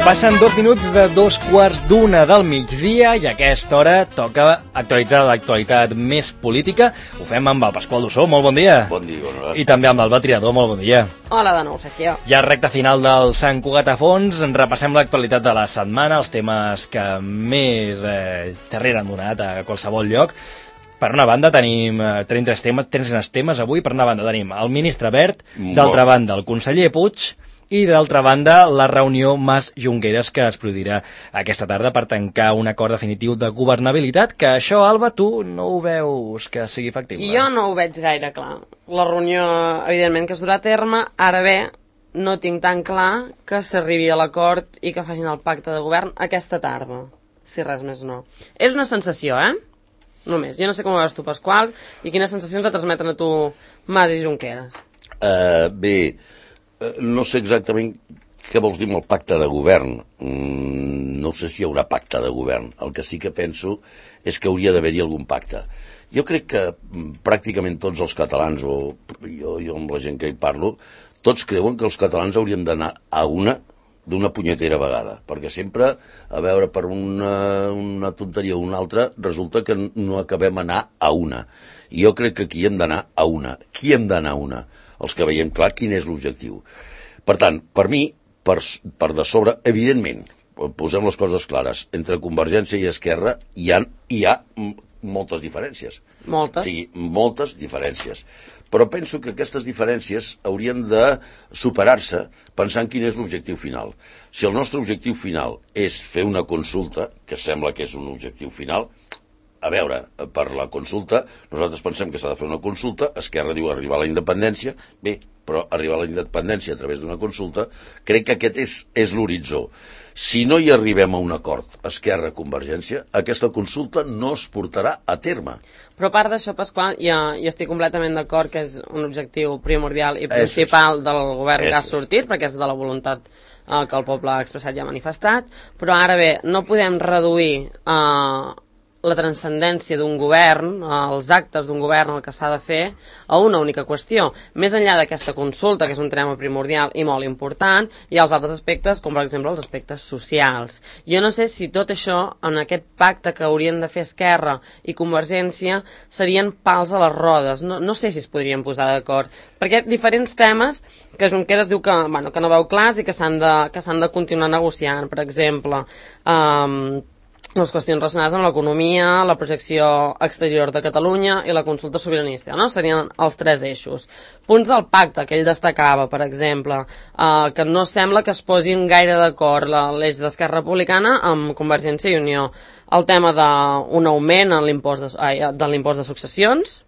Passen 2 minuts de 2:15 del migdia i a aquesta hora toca actualitzar l'actualitat més política. Ho fem amb el Pasqual Dussó, molt bon dia. Bon dia, Honorat. I també amb el Triador, molt bon dia. Hola de nou, Sergio. Ja recta final del Sant Cugat a fons, repassem l'actualitat de la setmana, els temes que més xerrera han donat a qualsevol lloc. Per una banda tenim 3 temes avui. Per una banda tenim el ministre Wert, d'altra banda el conseller Puig i d'altra banda la reunió Mas-Junqueras que es produirà aquesta tarda per tancar un acord definitiu de governabilitat, que això, Alba, tu no ho veus que sigui factible? Jo no ho veig gaire clar. La reunió, evidentment, que es durà a terme, ara bé, no tinc tan clar que s'arribi a l'acord i que facin el pacte de govern aquesta tarda, si res més no. És una sensació, Només. Jo no sé com ho veus tu, Pasqual, i quines sensacions et transmeten a tu Mas i Junqueras. Bé, no sé exactament què vols dir amb el pacte de govern. No sé si hi haurà pacte de govern. El que sí que penso és que hauria d'haver-hi algun pacte. Jo crec que pràcticament tots els catalans, o jo amb la gent que hi parlo, tots creuen que els catalans hauríem d'anar a d'una punyetera vegada, perquè sempre, a veure, per una tonteria o una altra, resulta que no acabem anar a una. I jo crec que aquí hem d'anar a una. Qui hem d'anar a una? Els que veiem clar quin és l'objectiu. Per tant, per mi, per de sobre, evidentment, posem les coses clares, entre Convergència i Esquerra hi ha moltes diferències. Moltes? Sí, moltes diferències. Però penso que aquestes diferències haurien de superar-se pensant quin és l'objectiu final. Si el nostre objectiu final és fer una consulta, que sembla que és un objectiu final, a veure, per la consulta, nosaltres pensem que s'ha de fer una consulta, Esquerra diu arribar a la independència, bé, però arribar a la independència a través d'una consulta, crec que aquest és l'horitzó. Si no hi arribem a un acord, Esquerra-Convergència, aquesta consulta no es portarà a terme. Però a part d'això, Pasqual, jo estic completament d'acord que és un objectiu primordial i principal del govern que ha sortit, perquè és de la voluntat que el poble ha expressat i ha manifestat, però ara bé, no podem reduir la transcendència d'un govern, els actes d'un govern, el que s'ha de fer, a una única qüestió. Més enllà d'aquesta consulta, que és un tema primordial i molt important, hi ha els altres aspectes, com per exemple els aspectes socials. Jo no sé si tot això, en aquest pacte que haurien de fer Esquerra i Convergència, serien pals a les rodes. No sé si es podrien posar d'acord. Perquè diferents temes que Junqueras diu que no veu clars i que s'han de continuar negociant. Per exemple, les qüestions relacionades amb l'economia, la projecció exterior de Catalunya i la consulta sobiranista, no? Serien els 3 eixos. Punts del pacte, que ell destacava, per exemple, que no sembla que es posin gaire d'acord l'eix d'Esquerra Republicana amb Convergència i Unió. El tema d'un augment en de l'impost de successions,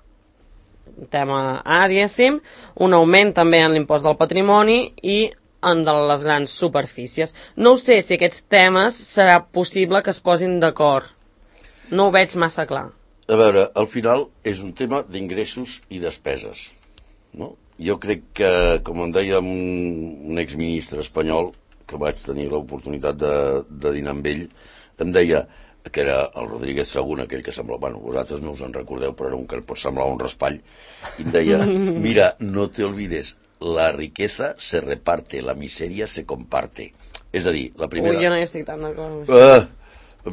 tema A, diguéssim, un augment també en l'impost del patrimoni i en de les grans superfícies. No ho sé si aquests temes serà possible que es posin d'acord. No ho veig massa clar. A veure, al final és un tema d'ingressos i despeses, no? Jo crec que, com em deia un exministre espanyol, que vaig tenir l'oportunitat de dinar amb ell, em deia, que era el Rodríguez Sagún, aquell que semblava, vosaltres no us en recordeu, però era un que pot semblar un raspall, i em deia, mira, no te olvides, la riqueza se reparte, la miseria se comparte. És a dir, la primera... Jo no hi estic tan d'acord amb això.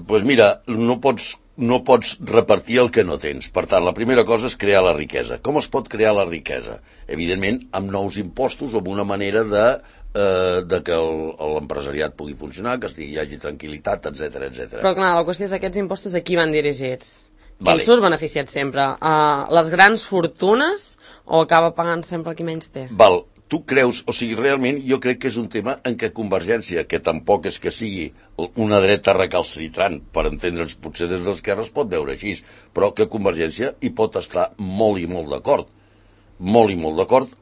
Pues mira, no pots repartir el que no tens. Per tant, la primera cosa és crear la riquesa. Com es pot crear la riquesa? Evidentment, amb nous impostos o amb una manera de que l'empresariat pugui funcionar, que hi hagi tranquil·litat, etc. Però clar, la qüestió és aquests impostos a qui van dirigits? Qui en surt beneficiat sempre? Les grans fortunes o acaba pagant sempre qui menys té? Val, tu creus, o sigui, realment jo crec que és un tema en què Convergència, que tampoc és que sigui una dreta recalcitrant, per entendre'ns potser des d'Esquerra es pot veure així, però que Convergència hi pot estar molt i molt d'acord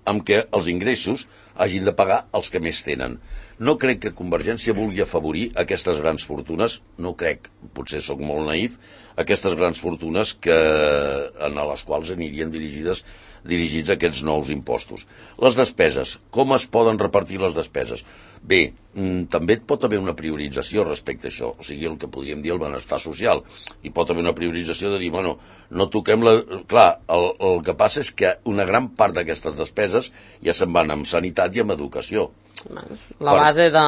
amb que els ingressos hagin de pagar els que més tenen. No crec que Convergència vulgui afavorir aquestes grans fortunes, no crec, potser sóc molt naïf, aquestes grans fortunes a les quals anirien dirigits aquests nous impostos. Les despeses, com es poden repartir les despeses? Bé, també pot haver una priorització respecte a això, o sigui, el que podríem dir el benestar social. Hi pot haver una priorització de dir, bueno, no toquem la... Clar, el que passa és que una gran part d'aquestes despeses ja se'n van amb sanitat i amb educació. La base de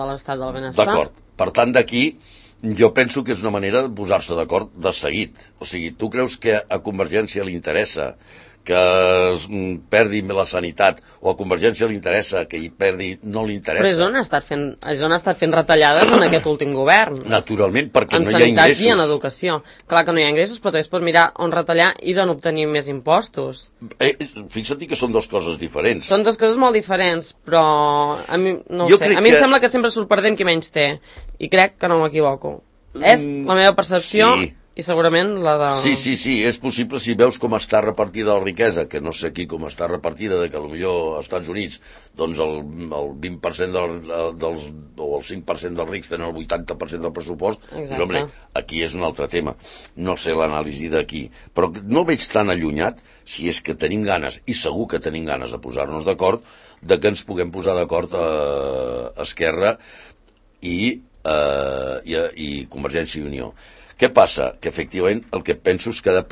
l'estat del benestar. D'acord. Per tant, d'aquí, jo penso que és una manera de posar-se d'acord de seguit. O sigui, tu creus que a Convergència li interessa que es perdi la sanitat, o a Convergència li interessa que hi perdi, no li interessa. Però és on ha estat fent retallades en aquest últim govern. Naturalment, perquè no hi ha ingressos. En sanitat i en educació. Clar que no hi ha ingressos, però es pot mirar on retallar i d'on obtenir més impostos. Fixa't que són dues coses diferents. Són dues coses molt diferents, però a mi, no ho sé. A mi em sembla que sempre surt perdent qui menys té, i crec que no m'equivoco. És la meva percepció... Sí. I segurament la de... Sí, és possible si veus com està repartida la riquesa, que no sé aquí com està repartida, que potser als Estats Units doncs el 20% o el 5% dels rics tenen el 80% del pressupost. Doncs, home, aquí és un altre tema. No sé l'anàlisi d'aquí. Però no veig tan allunyat, si és que tenim ganes, i segur que tenim ganes de posar-nos d'acord, de que ens puguem posar d'acord a Esquerra i Convergència i Unió. Què passa? Que efectivament el que penso és que ha de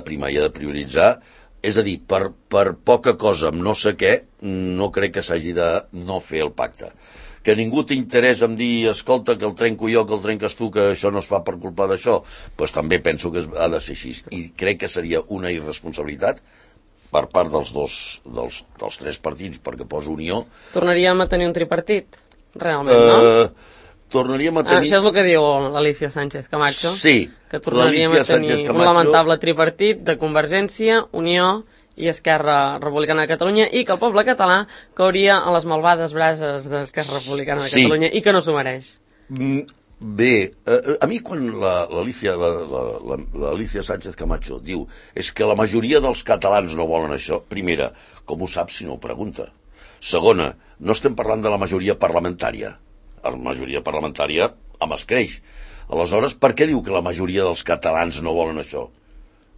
primar i ha de prioritzar, és a dir, per poca cosa amb no sé què, no crec que s'hagi de no fer el pacte. Que ningú t'interessa en dir, escolta, que el trenco jo, que el trenques tu, que això no es fa per culpa d'això, doncs també penso que ha de ser així. I crec que seria una irresponsabilitat per part dels tres partits, perquè poso Unió. Tornaríem a tenir un tripartit, realment, no? Tornaríem a tenir... Això és el que diu l'Alicia Sánchez Camacho. Sí. Que tornaríem a tenir un lamentable tripartit de Convergència, Unió i Esquerra Republicana de Catalunya, i que el poble català cauria a les malvades brases d'Esquerra Republicana de Catalunya i que no s'ho mereix. Bé, a mi quan l'Alicia Sánchez Camacho diu és que la majoria dels catalans no volen això, primera, com ho saps si no ho pregunta? Segona, no estem parlant de la majoria parlamentària. La majoria parlamentària amb escreix. Aleshores, per què diu que la majoria dels catalans no volen això?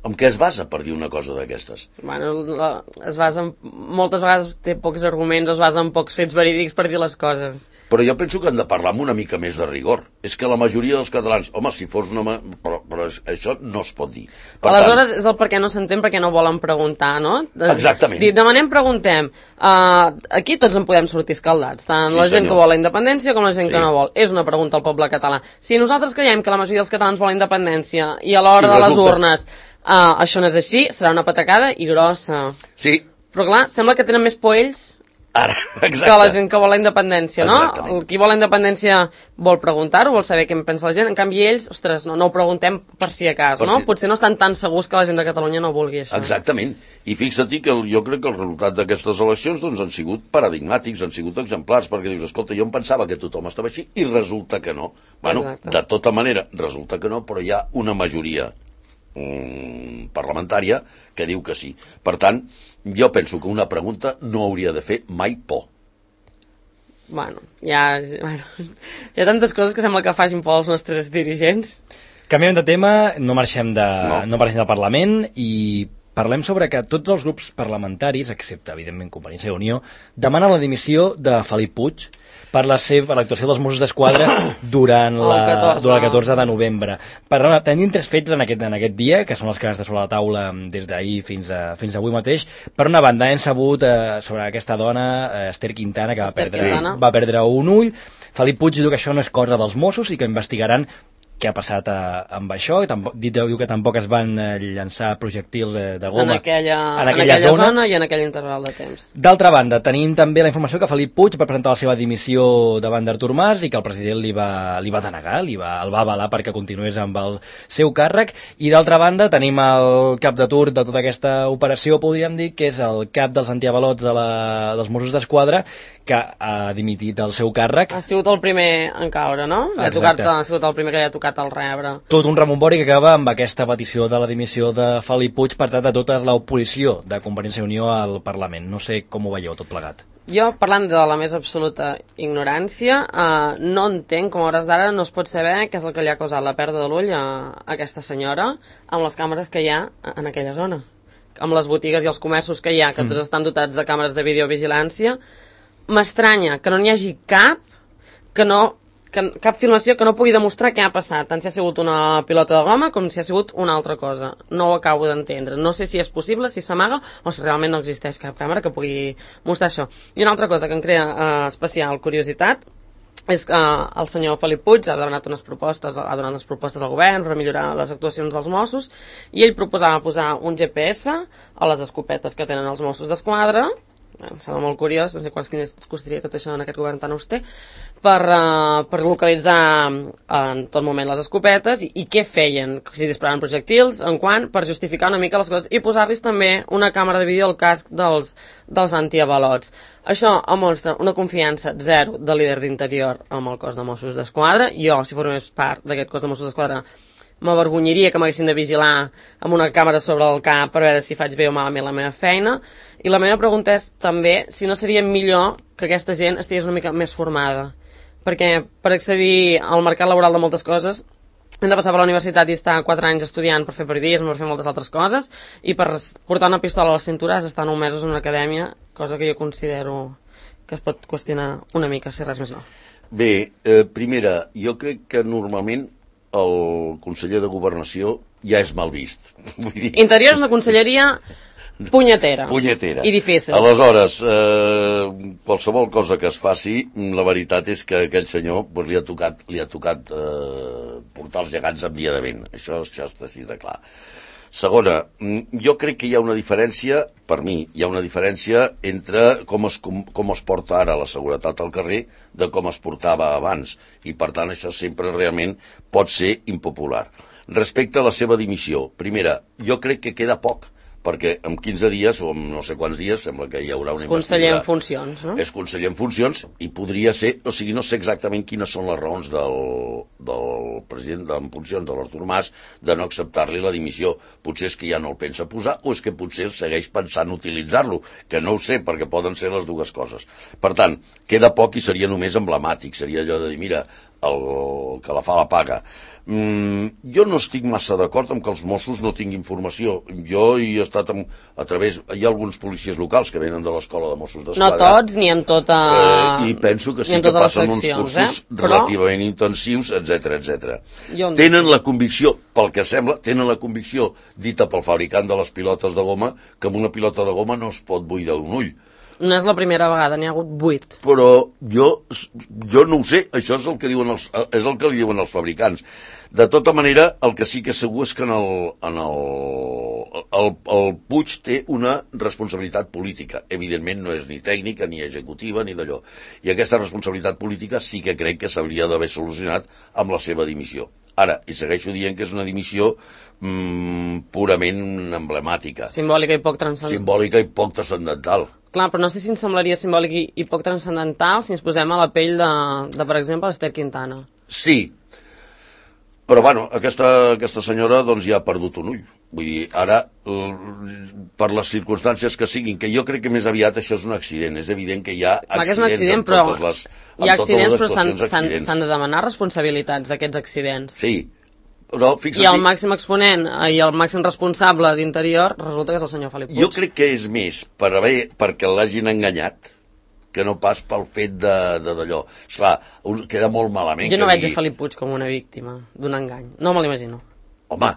En què es basa per dir una cosa d'aquestes? Bueno, es basa moltes vegades té pocs arguments, es basa en pocs fets verídics per dir les coses. Però jo penso que hem de parlar amb una mica més de rigor. És que la majoria dels catalans... Home, si fos una... Però això no es pot dir. Aleshores, és el per què no s'entén, perquè no volen preguntar, no? Exactament. Demanem, preguntem. Aquí tots en podem sortir escaldats, tant la gent que vol la independència com la gent que no vol. És una pregunta al poble català. Si nosaltres creiem que la majoria dels catalans volen independència i a l'hora de les urnes això no és així, serà una patacada i grossa. Sí. Però clar, sembla que tenen més por ells que la gent que vol la independència, no? Exactament. Qui vol la independència vol preguntar-ho, vol saber què en pensa la gent. En canvi ells, ostres, no ho preguntem per si a cas, no? Potser no estan tan segurs que la gent de Catalunya no vulgui això. Exactament. I fixa't que jo crec que el resultat d'aquestes eleccions doncs, han sigut paradigmàtics, han sigut exemplars, perquè dius, escolta, jo em pensava que tothom estava així i resulta que no. Bueno, de tota manera, resulta que no, però hi ha una majoria parlamentària que diu que sí. Per tant, jo penso que una pregunta no hauria de fer mai por. Bueno, hi ha tantes coses que sembla que facin por als nostres dirigents. Canviem de tema, no marxem del Parlament i parlem sobre que tots els grups parlamentaris, excepte, evidentment, Convergència i Unió, demanen la dimissió de Felip Puig per l'actuació dels Mossos d'Esquadra durant el 14 de novembre. Tenim tres fets en aquest dia, que són els que han estat sobre la taula des d'ahir fins avui mateix. Per una banda, hem sabut sobre aquesta dona, Esther Quintana, que va perdre un ull. Felip Puig diu que això no és cosa dels Mossos i que investigaran què ha passat amb això. Diu que tampoc es van llançar projectils de goma en aquella zona i en aquell interval de temps. D'altra banda, tenim també la informació que Felip Puig va presentar la seva dimissió davant d'Artur Mas i que el president li va denegar, el va avalar perquè continués amb el seu càrrec. I d'altra banda tenim el cap de turc de tota aquesta operació, podríem dir, que és el cap dels antiavalots dels Mossos d'Esquadra, que ha dimitit del seu càrrec. Ha sigut el primer en caure, no? Ha sigut el primer que li ha tocat el rebre. Tot un rebombori que acaba amb aquesta petició de la dimissió de Felip Puig per part de tota l'oposició de Convergència i Unió al Parlament. No sé com ho veieu tot plegat. Jo, parlant de la més absoluta ignorància, no entenc com a hores d'ara no es pot saber què és el que li ha causat la pèrdua de l'ull a aquesta senyora amb les càmeres que hi ha en aquella zona. Amb les botigues i els comerços que hi ha, que tots estan dotats de càmeres de videovigilància. M'estranya que no n'hi hagi cap que no cap filmació que no pugui demostrar què ha passat, tant si ha sigut una pilota de goma com si ha sigut una altra cosa. No ho acabo d'entendre. No sé si és possible, si s'amaga, o si realment no existeix cap càmera que pugui mostrar això. I una altra cosa que em crea especial curiositat és que el senyor Felip Puig ha donat unes propostes al govern per millorar les actuacions dels Mossos, i ell proposava posar un GPS a les escopetes que tenen els Mossos d'Esquadra. Em sembla molt curiós, no sé quants diners costaria tot això en aquest govern tan auster, per localitzar en tot moment les escopetes i què feien, si disparaven projectils, en quant, per justificar una mica les coses i posar-los també una càmera de vídeo al casc dels antiavalots. Això mostra una confiança zero del líder d'Interior amb el cos de Mossos d'Esquadra. Jo, si formés part d'aquest cos de Mossos d'Esquadra, m'avergonyaria que m'haguessin de vigilar amb una càmera sobre el cap per veure si faig bé o malament la meva feina. I la meva pregunta és també si no seria millor que aquesta gent estigués una mica més formada, perquè per accedir al mercat laboral de moltes coses hem de passar per la universitat i estar 4 anys estudiant per fer periodisme, per fer moltes altres coses, i per portar una pistola a la cintura has d'estar 9 mesos en una acadèmia, cosa que jo considero que es pot qüestionar una mica, si res més no. Bé, primera, jo crec que normalment el conseller de Governació ja és mal vist. Vull dir... Interior és una conselleria punyetera. I difícil. Aleshores, qualsevol cosa que es faci, la veritat és que aquell senyor pues, li ha tocat portar els gegants amb dia de vent. Això està així de clar. Segona, jo crec que hi ha una diferència, per mi, hi ha una diferència entre com es porta ara la seguretat al carrer de com es portava abans, i per tant això sempre realment pot ser impopular. Respecte a la seva dimissió, primera, jo crec que queda poc, perquè en 15 dies, o en no sé quants dies, sembla que hi haurà una investidura. És conseller en funcions, no? És conseller en funcions, i podria ser, o sigui, no sé exactament quines són les raons del president en funcions, de l'Artur Mas, de no acceptar-li la dimissió. Potser és que ja no el pensa posar, o és que potser segueix pensant utilitzar-lo, que no ho sé, perquè poden ser les dues coses. Per tant, queda poc i seria només emblemàtic, seria allò de dir, mira, el que la fa la paga. Jo no estic massa d'acord amb que els Mossos no tinguin formació. Jo hi he estat a través... Hi ha alguns policies locals que venen de l'escola de Mossos d'Esquadra. No tots, ni en tota... I penso que sí que passen uns cursos relativament intensius, etc. Tenen la convicció, pel que sembla, tenen la convicció dita pel fabricant de les pilotes de goma, que amb una pilota de goma no es pot buidar un ull. No és la primera vegada, n'hi ha hagut 8. Però jo no ho sé, això és el que diuen els fabricants. De tota manera, el que sí que és segur és que el Puig té una responsabilitat política. Evidentment no és ni tècnica, ni executiva, ni d'allò. I aquesta responsabilitat política sí que crec que s'hauria d'haver solucionat amb la seva dimissió. Ara, i segueixo dient que és una dimissió purament emblemàtica. Simbòlica i poc transcendental. Clar, però no sé si ens semblaria simbòlic i poc transcendental si ens posem a la pell de per exemple, l'Ester Quintana. Sí, però bueno, aquesta senyora doncs ja ha perdut un ull. Vull dir, ara, per les circumstàncies que siguin, que jo crec que més aviat això és un accident. És evident que hi ha accidents amb totes les actuacions. S'han de demanar responsabilitats d'aquests accidents. Sí, però fixa't... I el màxim exponent i el màxim responsable d'Interior resulta que és el senyor Felip Puig. Jo crec que és més perquè l'hagin enganyat que no pas pel fet d'allò. Esclar, queda molt malament. Jo no veig a Felip Puig com una víctima d'un engany. No me l'imagino. Home,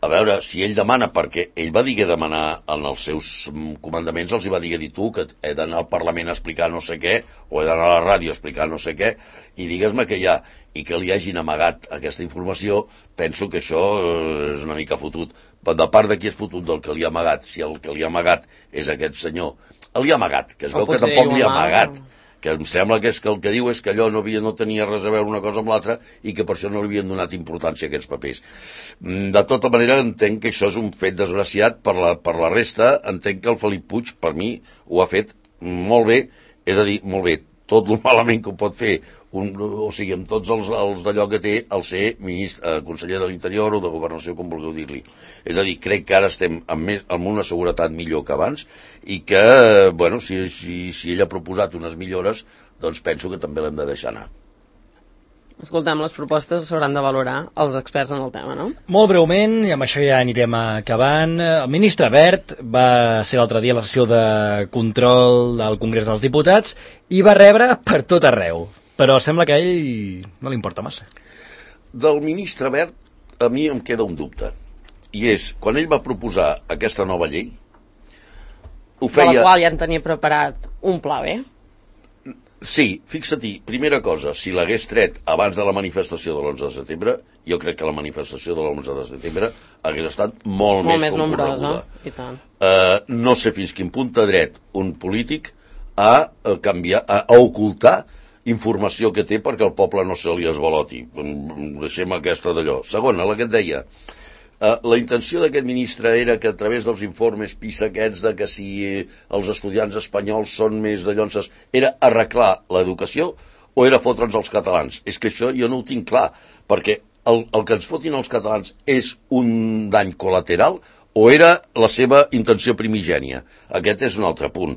a veure, si ell demana, perquè ell va dir que demanar en els seus comandaments, els hi va dir tu que he d'anar al Parlament a explicar no sé què, o he d'anar a la ràdio a explicar no sé què, i digues-me que hi ha, i que li hagin amagat aquesta informació, penso que això és una mica fotut. De part de qui és fotut del que li ha amagat, si el que li ha amagat és aquest senyor, li ha amagat, que es veu que tampoc li ha amagat, que em sembla que és que el que diu és que allò no tenia res a veure una cosa amb l'altra i que per això no li havien donat importància a aquests papers. De tota manera, entenc que això és un fet desgraciat. Per la resta, entenc que el Felip Puig, per mi, ho ha fet molt bé, és a dir, molt bé, tot el malament que ho pot fer, o sigui, amb tots els d'allò que té el ser conseller de l'Interior o de Governació, com vulgueu dir-li. És a dir, crec que ara estem amb una seguretat millor que abans i que, bueno, si ell ha proposat unes millores, doncs penso que també l'hem de deixar anar. Escoltem, les propostes s'hauran de valorar els experts en el tema, no? Molt breument, i amb això ja anirem acabant. El ministre Wert va ser l'altre dia a la sessió de control del Congrés dels Diputats i va rebre per tot arreu. però sembla que a ell no li importa massa. Del ministre Wert, a mi em queda un dubte. I és, quan ell va proposar aquesta nova llei, ho feia... De la qual ja en tenia preparat un pla B. Sí, fixa-t'hi, primera cosa, si l'hagués tret abans de la manifestació de l'11 de setembre, jo crec que la manifestació de l'11 de setembre hagués estat molt més nombrosa. I tant. No sé fins quin punt té dret un polític a canviar, a ocultar informació que té perquè el poble no se li esvaloti. Deixem aquesta d'allò. Segona, la que et deia, la intenció d'aquest ministre era que a través dels informes PISA aquests de que si els estudiants espanyols són més de llonses, era arreglar l'educació o era fotre'ns els catalans? És que això jo no ho tinc clar, perquè el que ens fotin els catalans és un dany col·lateral o era la seva intenció primigènia? Aquest és un altre punt.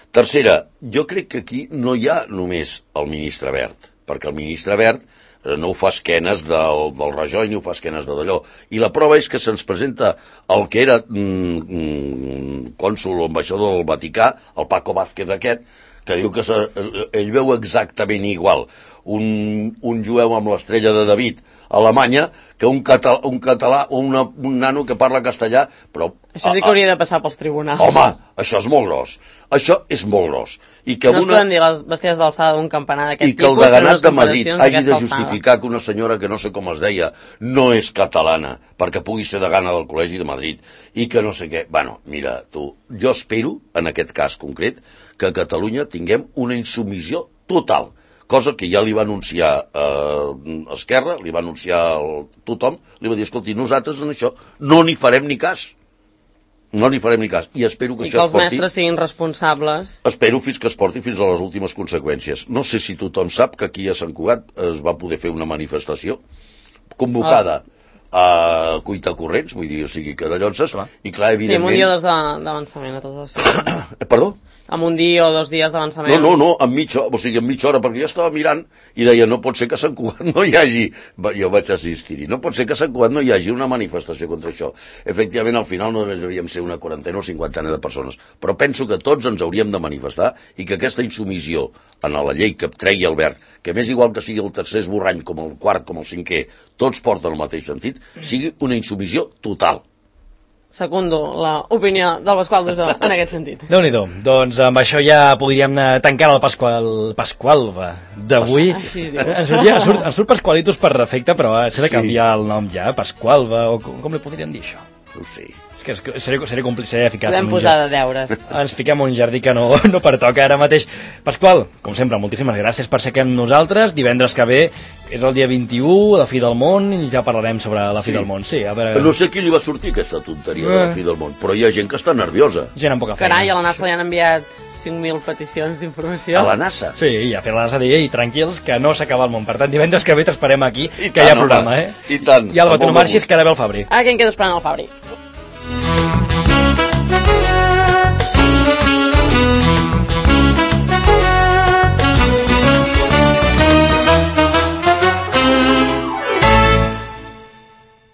Tercera, jo crec que aquí no hi ha només el ministre Wert, perquè el ministre Wert no ho fa esquenes del Rajoy ni ho fa esquenes de d'allò. I la prova és que se'ns presenta el que era cònsol o ambaixador del Vaticà, el Paco Vázquez aquest, que diu que ell veu exactament igual un jueu amb l'estrella de David a Alemanya que un català o un nano que parla castellà, però... Això sí que hauria de passar pels tribunals. Home, això és molt gros. Això és molt gros. I que no es poden dir les besties d'alçada d'un campanar d'aquest tipus... I que el deganat de Madrid hagi de justificar que una senyora que no sé com es deia no és catalana perquè pugui ser degana del Col·legi de Madrid i que no sé què... Bueno, mira, tu, jo espero, en aquest cas concret, que a Catalunya tinguem una insubmissió total, cosa que ja li va anunciar Esquerra, li va anunciar tothom, li va dir, escolti, nosaltres en això no n'hi farem ni cas. No n'hi farem ni cas. I espero que això es porti... I que els mestres siguin responsables. Espero fins que es porti fins a les últimes conseqüències. No sé si tothom sap que aquí a Sant Cugat es va poder fer una manifestació convocada a cuita corrents, vull dir, o sigui, que de llonses, i clar, evidentment... Sí, amb un dia o dos d'avançament a tots els... Perdó? Amb un dia o 2 dies d'avançament. No, en mitja hora, perquè jo estava mirant i deia, no pot ser que a Sant Cugat no hi hagi... Jo vaig assistir-hi. No pot ser que a Sant Cugat no hi hagi una manifestació contra això. Efectivament, al final no només devíem ser una quarantena o 50 de persones, però penso que tots ens hauríem de manifestar i que aquesta insumissió en la llei que treia Albert, que més igual que sigui el tercer esborrany, com el quart, com el cinquè, tots porten el mateix sentit, sigui una insumissió total. Secundo l'opinió del Pasqual Dusó en aquest sentit. Déu-n'hi-do. Doncs amb això ja podríem tancar el Pasqualva d'avui. Ens surt Pasqualitos per defecte, però s'ha de canviar el nom ja, Pasqualva, o com li podríem dir això? No sé. És que seria complicat, seria eficaç. Podem posar de deures. Ens fiquem un jardí que no pertoca ara mateix. Pasqual, com sempre, moltíssimes gràcies per ser aquí amb nosaltres. Divendres que ve és el dia 21, la fi del món, i ja parlarem sobre la fi del món. Sí, a veure... No sé qui li va sortir aquesta tonteria de la fi del món, però hi ha gent que està nerviosa. Gent amb poca feina. Carai, a la NASA li han enviat 5.000 peticions d'informació. A la NASA? Sí, ja fer la NASA dir, tranquils, que no s'acaba el món. Per tant, divendres que ve t'esperem aquí, que hi ha programa, I tant. I Alba, tu no marxis, que ara ve el Fabri. Ah, que em quedo esperant el Fabri.